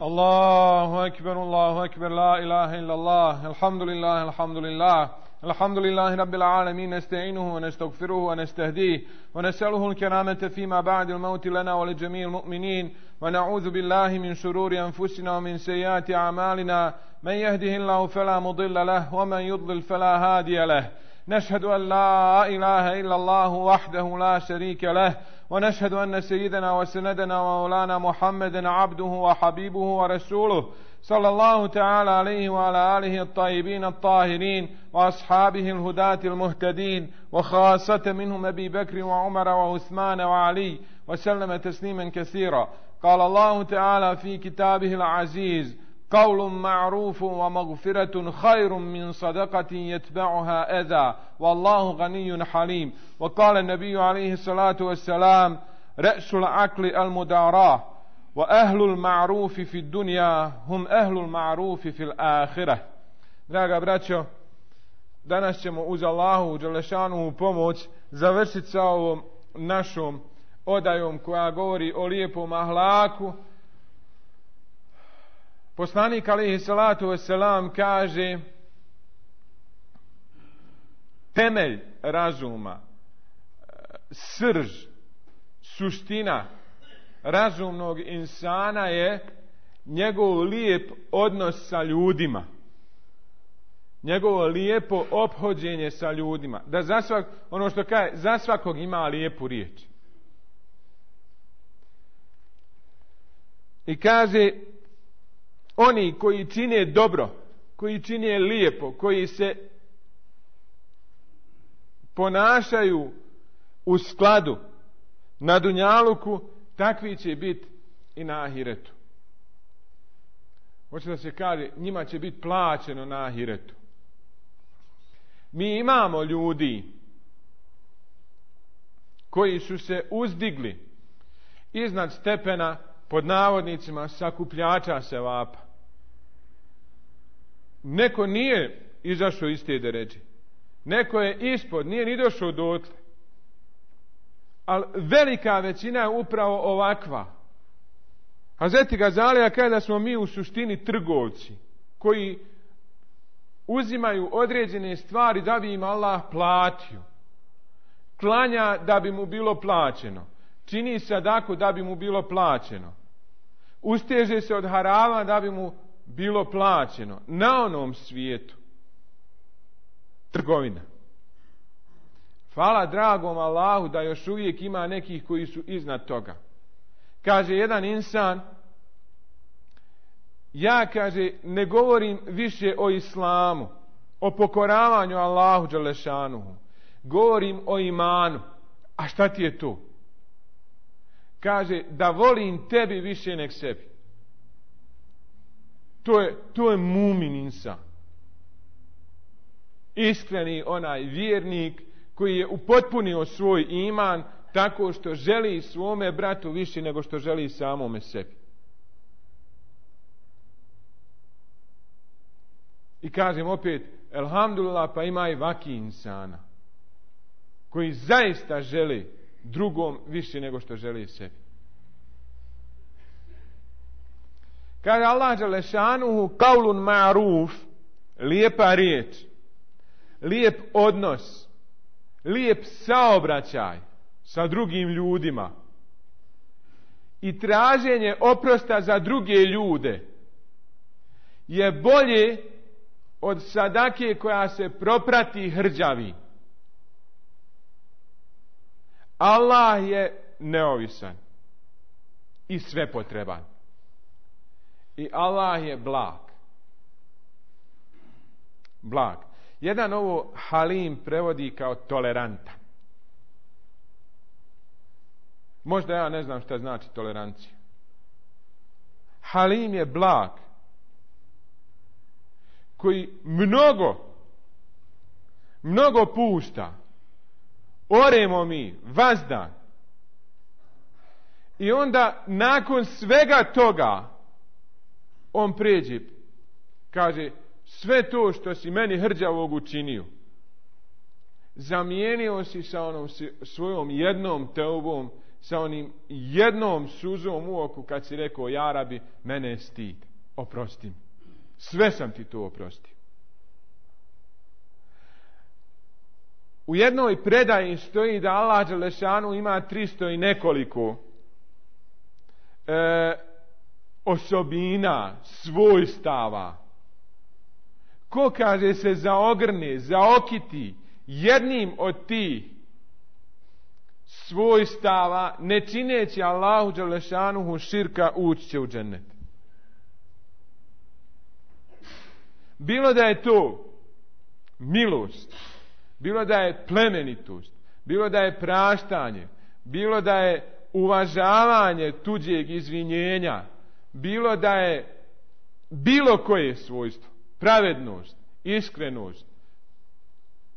الله أكبر لا إله إلا الله الحمد لله الحمد لله رب العالمين نستعينه ونستغفره ونستهديه ونسأله الكرامة فيما بعد الموت لنا ولجميع المؤمنين ونعوذ بالله من شرور أنفسنا ومن سيئات أعمالنا من يهده الله فلا مضل له ومن يضلل فلا هادي له نشهد أن لا إله إلا الله وحده لا شريك له ونشهد أن سيدنا وسندنا ومولانا محمدا عبده وحبيبه ورسوله صلى الله تعالى عليه وعلى آله الطيبين الطاهرين وأصحابه الهداة المهتدين وخاصة منهم أبي بكر وعمر وعثمان وعلي وسلم تسليما كثيرا. قال الله تعالى في كتابه العزيز: قول معروف ومغفرة خير من صدقة يتبعها أذى والله غني حليم. وقال النبي عليه الصلاة والسلام: رأس العقل المداراة وأهل المعروف في الدنيا هم أهل المعروف في الآخرة. Draga braćo, danas ćemo uz Allahu dželešanu pomoć završiti sa ovom našom odajom koja govori o lijepom ahlaku. Poslanik alejhi salatu vesselam kaže: temelj razuma, srž, suština razumnog insana je njegov lijep odnos sa ljudima, njegovo lijepo ophođenje sa ljudima, da ono što kaže, za svakog ima lijepu riječ. I kaže: oni koji čine dobro, koji čine lijepo, koji se ponašaju u skladu na dunjaluku, takvi će biti i na ahiretu. Hoće da se kaže, njima će biti plaćeno na ahiretu. Mi imamo ljudi koji su se uzdigli iznad stepena, pod navodnicima, sakupljača sevapa. Neko nije izašao iz te deređe. Neko je ispod, nije ni došao dotle. Ali velika većina je upravo ovakva. Hazreti Gazalija kaže da smo mi u suštini trgovci koji uzimaju određene stvari da bi im Allah platio. Klanja da bi mu bilo plaćeno. Čini sadaku da bi mu bilo plaćeno. Usteže se od harama da bi mu bilo plaćeno. Na onom svijetu. Trgovina. Hvala dragom Allahu da još uvijek ima nekih koji su iznad toga. Kaže jedan insan: ja, kaže, ne govorim više o islamu, o pokoravanju Allahu dželešanuhu. Govorim o imanu. A šta ti je to? Kaže: da volim tebi više nek sebi. To je mumin insan. Iskreni onaj vjernik koji je upotpunio svoj iman tako što želi svome bratu više nego što želi samome sebi. I kažem opet, elhamdulillah, pa ima i vaki insana koji zaista želi drugom više nego što želi sebi. Kaže Allah dželešanuhu: kaulun ma'ruf, lijepa riječ, lijep odnos, lijep saobraćaj sa drugim ljudima i traženje oprosta za druge ljude je bolje od sadake koja se proprati hrđavi. Allah je neovisan i svepotreban. I Allah je blag. Blag. Jedan ovo halim prevodi kao tolerantan. Možda ja ne znam šta znači tolerancija. Halim je blag koji mnogo pušta. Oremo mi vazdan. I onda nakon svega toga on pređe, kaže: sve to što si meni hrđavog učinio, zamijenio si sa onom svojom jednom teubom, sa onim jednom suzom u oku kad si rekao ja Rabi, mene je stid, oprosti mi. Sve sam ti to oprostio. U jednoj predaji stoji da Allah dželešanu ima 300 i nekoliko osobina, svojstava. Ko, kaže, se zaogrne, zaokiti jednim od tih svojstava, ne čineći Allahu dželešanuhu širka, ući će u džennet. Bilo da je to milost, bilo da je plemenitost, bilo da je praštanje, bilo da je uvažavanje tuđeg izvinjenja, bilo da je bilo koje svojstvo, pravednost, iskrenost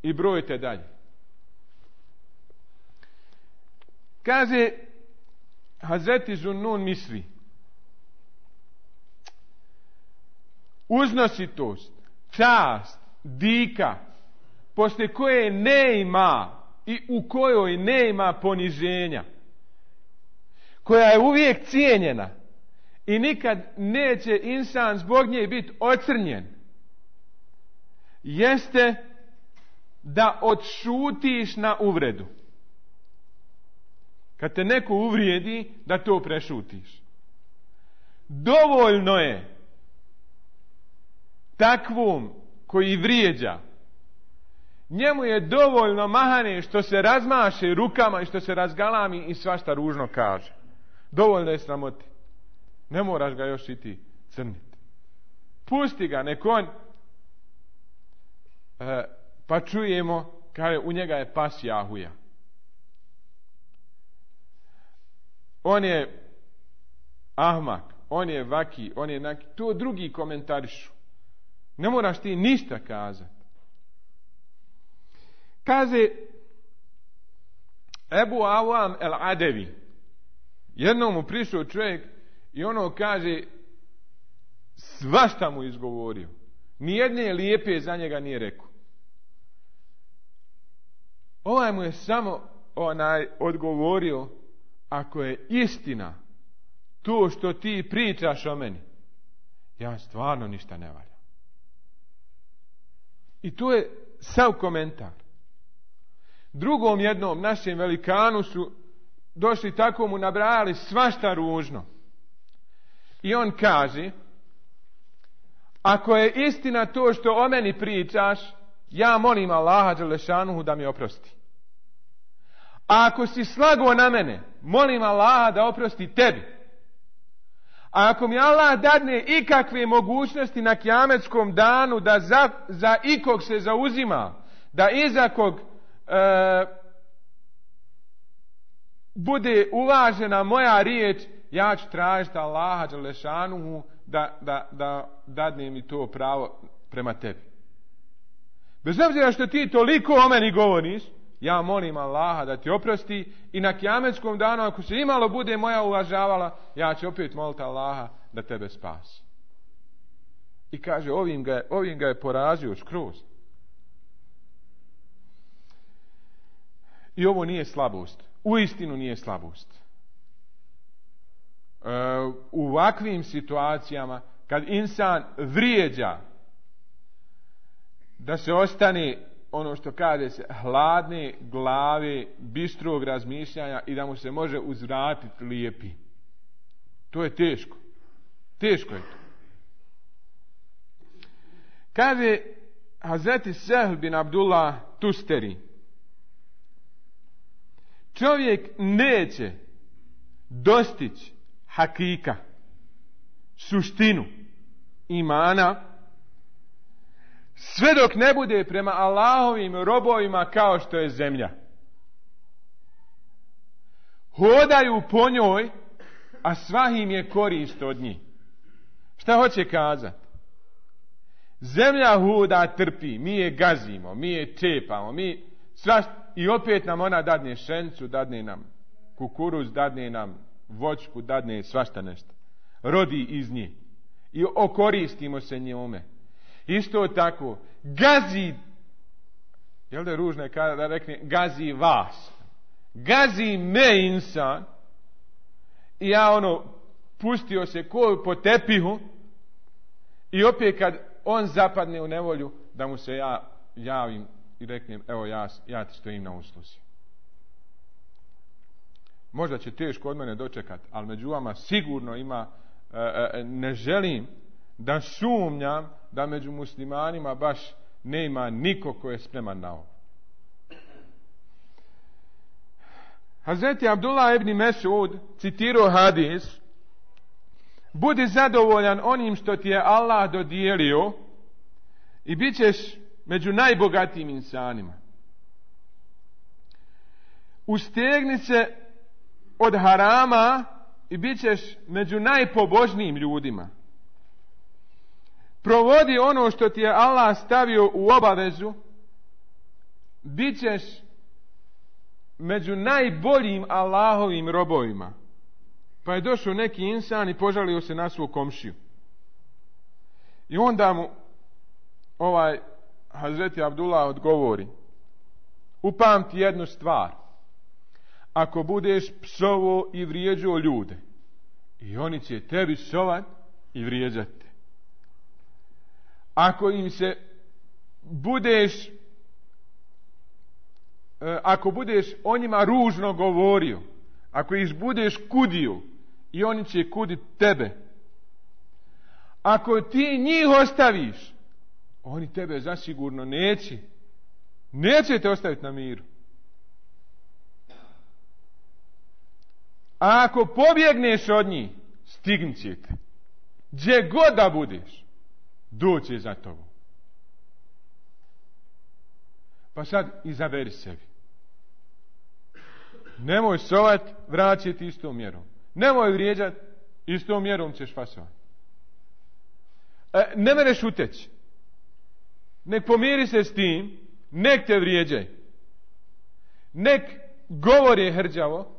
i brojite dalje. Kaže Hazreti Zunnun misli, uznositost, čast, dika, poslije koje ne ima i u kojoj ne ima poniženja, koja je uvijek cijenjena i nikad neće insan zbog nje biti ocrnjen, jeste da odšutiš na uvredu. Kad te neko uvrijedi, da to prešutiš. Dovoljno je takvom koji vrijeđa, njemu je dovoljno mahane što se razmaše rukama i što se razgalami i svašta ružno kaže. Dovoljno je sramoti. Ne moraš ga još i ti crniti. Pusti ga, nek on pa čujemo, kaže, u njega je pas jahuja. On je ahmak, on je vaki, on je naki. To drugi komentarišu. Ne moraš ti ništa kazati. Kaže Ebu Awam el-Adevi, jednom mu prišao čovjek i ono kaže, svašta mu izgovorio. Nijedne lijepe za njega nije rekao. Ovaj mu je samo odgovorio, ako je istina to što ti pričaš o meni, ja stvarno ništa ne valja. I to je sav komentar. Drugom jednom našem velikanu su došli, tako mu nabrajali svašta ružno. I on kaže, ako je istina to što o meni pričaš, ja molim Allaha dželešanuhu da mi oprosti. A ako si slago na mene, molim Allaha da oprosti tebi. A ako mi Allah dadne ikakve mogućnosti na kijametskom danu da za ikog se zauzima, da iza kog bude uvažena moja riječ, ja ću tražiti Allaha dželešanuhu da dadne mi to pravo prema tebi. Bez obzira što ti toliko o meni govoriš, ja molim Allaha da ti oprosti i na kijametskom danu, ako se imalo bude moja uvažavala, ja ću opet moliti Allaha da tebe spasi. I kaže, ovim ga je porazio skroz. I ovo nije slabost. Uistinu nije slabost. U ovakvim situacijama, kad insan vrijeđa, da se ostane, ono što kaže se, hladne glave, bistrog razmišljanja i da mu se može uzvratiti lijepi. To je teško. Teško je to. Kaže Hazreti Sehl bin Abdullah Tusteri, čovjek neće dostići hakika, suštinu imana, sve dok ne bude prema Allahovim robovima kao što je zemlja. Hodaju po njoj, a sva im je korist od njih. Šta hoće kazati? Zemlja hoda, trpi, mi je gazimo, mi je čepamo, i opet nam ona dadne šencu, dadne nam kukuruz, dadne nam voćku, dadne svašta nešto. Rodi iz nje. I okoristimo se njome. Isto tako, gazi, jel da je ružno kada rekne gazi vas? Gazi me insan, I ja pustio se ko po tepihu i opet kad on zapadne u nevolju, da mu se ja javim i reknem, evo ja ti stojim na usluzi. Možda će teško od mene dočekat, ali među vama sigurno ima, ne želim da sumnjam da među muslimanima baš ne ima niko ko je spreman na ovo. Hazreti Abdullah ibn Mesud citirao hadis: budi zadovoljan onim što ti je Allah dodijelio i bit ćeš među najbogatijim insanima. Ustegni se od harama i bit ćeš među najpobožnijim ljudima. Provodi ono što ti je Allah stavio u obavezu, bit ćeš među najboljim Allahovim robovima. Pa je došao neki insan i požalio se na svog komšiju. I onda mu Hazreti Abdullah odgovori: upamti jednu stvar, ako budeš psovao i vrijeđao ljude, i oni će tebi psovat i vrijeđati. Ako budeš o njima ružno govorio, ako ih budeš kudio, i oni će kuditi tebe. Ako ti njih ostaviš, oni tebe zasigurno neće te ostaviti na miru. A ako pobjegneš od njih, stignut će te. Gdje god da budeš, doće za tobom. Pa sad izaberi sebi. Nemoj sovat, vraćati istom mjerom. Nemoj vrijeđat, istom mjerom ćeš fasovat. Ne mereš uteći. Nek pomiri se s tim, nek te vrijeđaj. Nek govori hrđavo,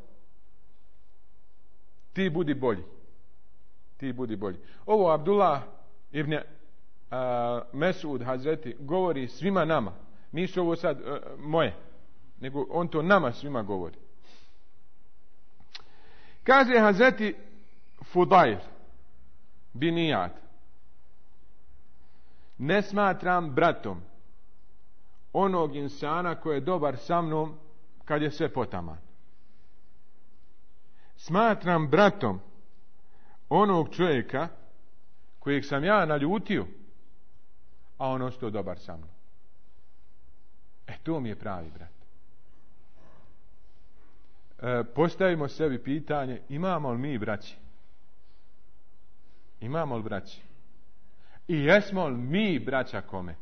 ti budi bolji. Ovo Abdullah ibn Mesud Hazreti govori svima nama. Nisu ovo sad moje, nego on to nama svima govori. Kaže Hazreti Fudail bin Iyad: ne smatram bratom onog insana koji je dobar sa mnom kad je sve potaman. Smatram bratom onog čovjeka kojeg sam ja naljutio, a on ostao dobar sa mnom. To mi je pravi brat. Postavimo sebi pitanje: imamo li mi braći? Imamo li braći? I jesmo li mi braća kome?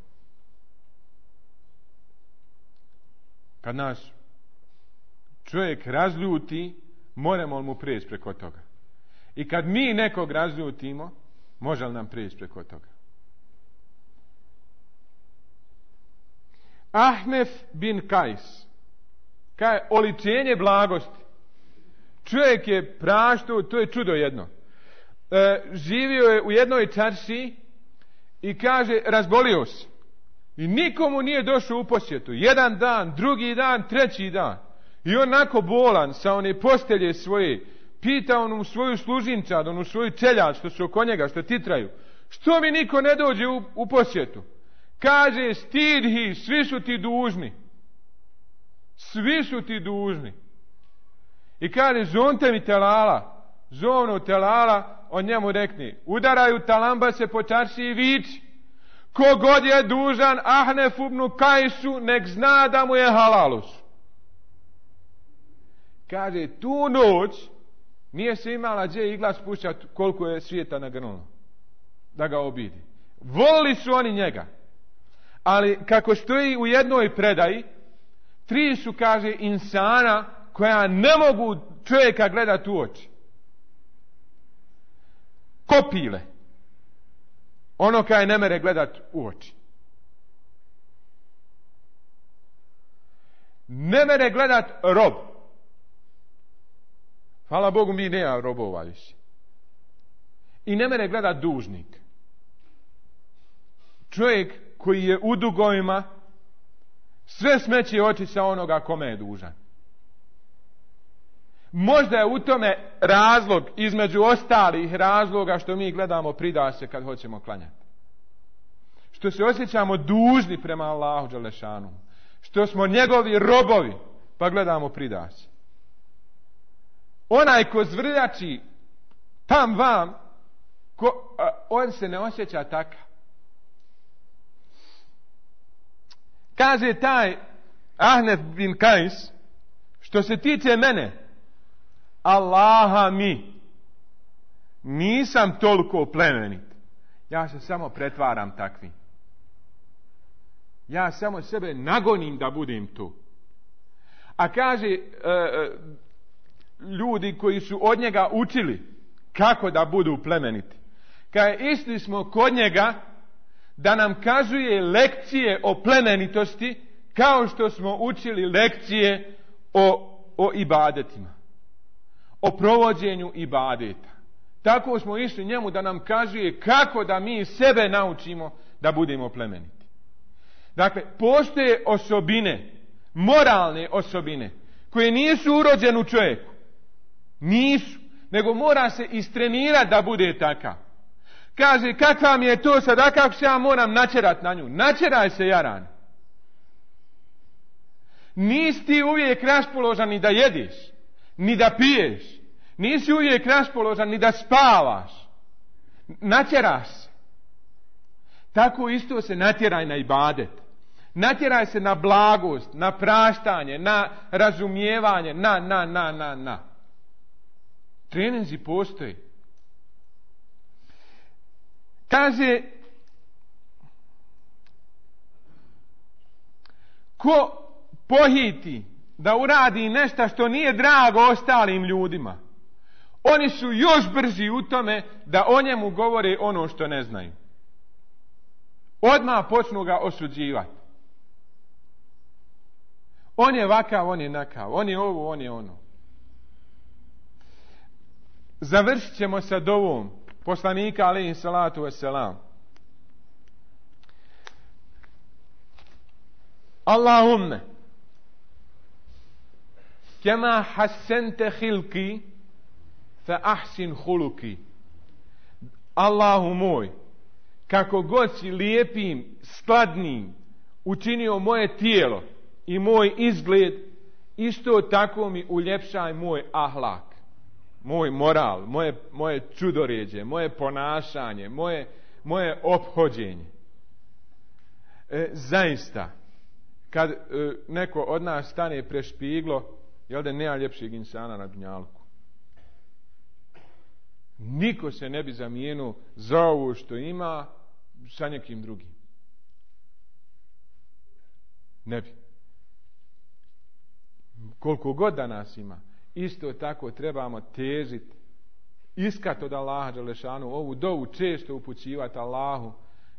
Kad nas čovjek razljuti, moramo li mu prijeći preko toga? I kad mi nekog razljutimo, može li nam prijeći preko toga? Ahnef bin Kajs, kaj oličenje blagosti. Čovjek je praštao, to je čudo jedno. Živio je u jednoj čaršiji i kaže, razbolio se. I nikomu nije došao u posjetu. Jedan dan, drugi dan, treći dan. I onako bolan sa one postelje svoje, pita onu svoju služinčad, onu svoju čeljad što su oko njega, što titraju: što mi niko ne dođe u posjetu? Kaže, stidhi, svi su ti dužni. Svi su ti dužni. I kaže, zonte mi telala. Zovnu telala, on njemu rekne: udaraju talambase po čarši i viči: kogod je dužan Ahnef ibn Kajsu, nek zna da mu je halalus. Kaže, tu noć nije se imala gdje igla spušćati koliko je svijeta nagrnulo da ga obidi. Volili su oni njega. Ali kako stoji u jednoj predaji, 3 su, kaže, insana koja ne mogu čovjeka gledati u oči. Kopile. Ono kaj ne mere gledati u oči. Ne mere gledati rob. Hvala Bogu, mi nema robova više. I ne mere gledati dužnik. Čovjek koji je u dugovima, sve smeće oči sa onoga kome je dužan. Možda je u tome razlog, između ostalih razloga, što mi gledamo pridase kad hoćemo klanjati. Što se osjećamo dužni prema Allahu dželešanu. Što smo njegovi robovi, pa gledamo pridase. Onaj ko zvrljači tam vam, on se ne osjeća takav. Kaže taj Ahnef bin Kajs, što se tiče mene, Allaha mi, nisam toliko plemenit. Ja se samo pretvaram takvim. Ja samo sebe nagonim da budem tu. A kaže, ljudi koji su od njega učili kako da budu plemeniti. Kaže, išli smo kod njega da nam kazuje lekcije o plemenitosti, kao što smo učili lekcije o ibadetima. O provođenju ibadeta. Tako smo išli njemu da nam kazuje kako da mi sebe naučimo da budemo plemeniti. Dakle, postoje osobine, moralne osobine, koje nisu urođene u čovjeku. Nisu. Nego mora se istrenirati da bude takav. Kaže, kakva mi je to sada, kako se ja moram načerat na nju? Načeraj se, jaran. Nisi ti uvijek raspoložan ni da jediš, ni da piješ. Nisi uvijek raspoložan ni da spavaš. Natjeraš se. Tako isto se natjeraj na ibadet. Natjeraj se na blagost, na praštanje, na razumijevanje, na. Treninzi postoji. Kaže, ko pohiti da uradi nešto što nije drago ostalim ljudima, oni su još brži u tome da o njemu govore ono što ne znaju. Odmah počnu ga osuđivati. On je vakav, on je nakav, on je ovo, on je ono. Završit ćemo sa dovom poslanika alejhi salatu vesselam. Allahumme kema hassente hilki fa ahsin huluki. Allahu moj, kako god si lijepim, skladnim učinio moje tijelo i moj izgled, isto tako mi uljepšaj moj ahlak, moj moral, moje čudoređe, moje ponašanje, moje ophođenje. Zaista, kad neko od nas stane pre špiglo, jel da nema ljepšeg insana na dunjalku? Niko se ne bi zamijenio za ovo što ima sa nekim drugim. Ne bi. Koliko god da nas ima, isto tako trebamo težiti, iskat od Allaha dželešanu, ovu dovu često upućivati Allahu,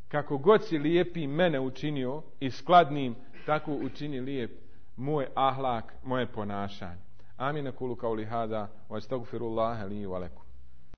kako god si lijepi mene učinio i skladnim, tako učini lijep moj ahlak, moje ponašanje. Amin, kulu kauli hada, wa astagfirullaha li wa lakum.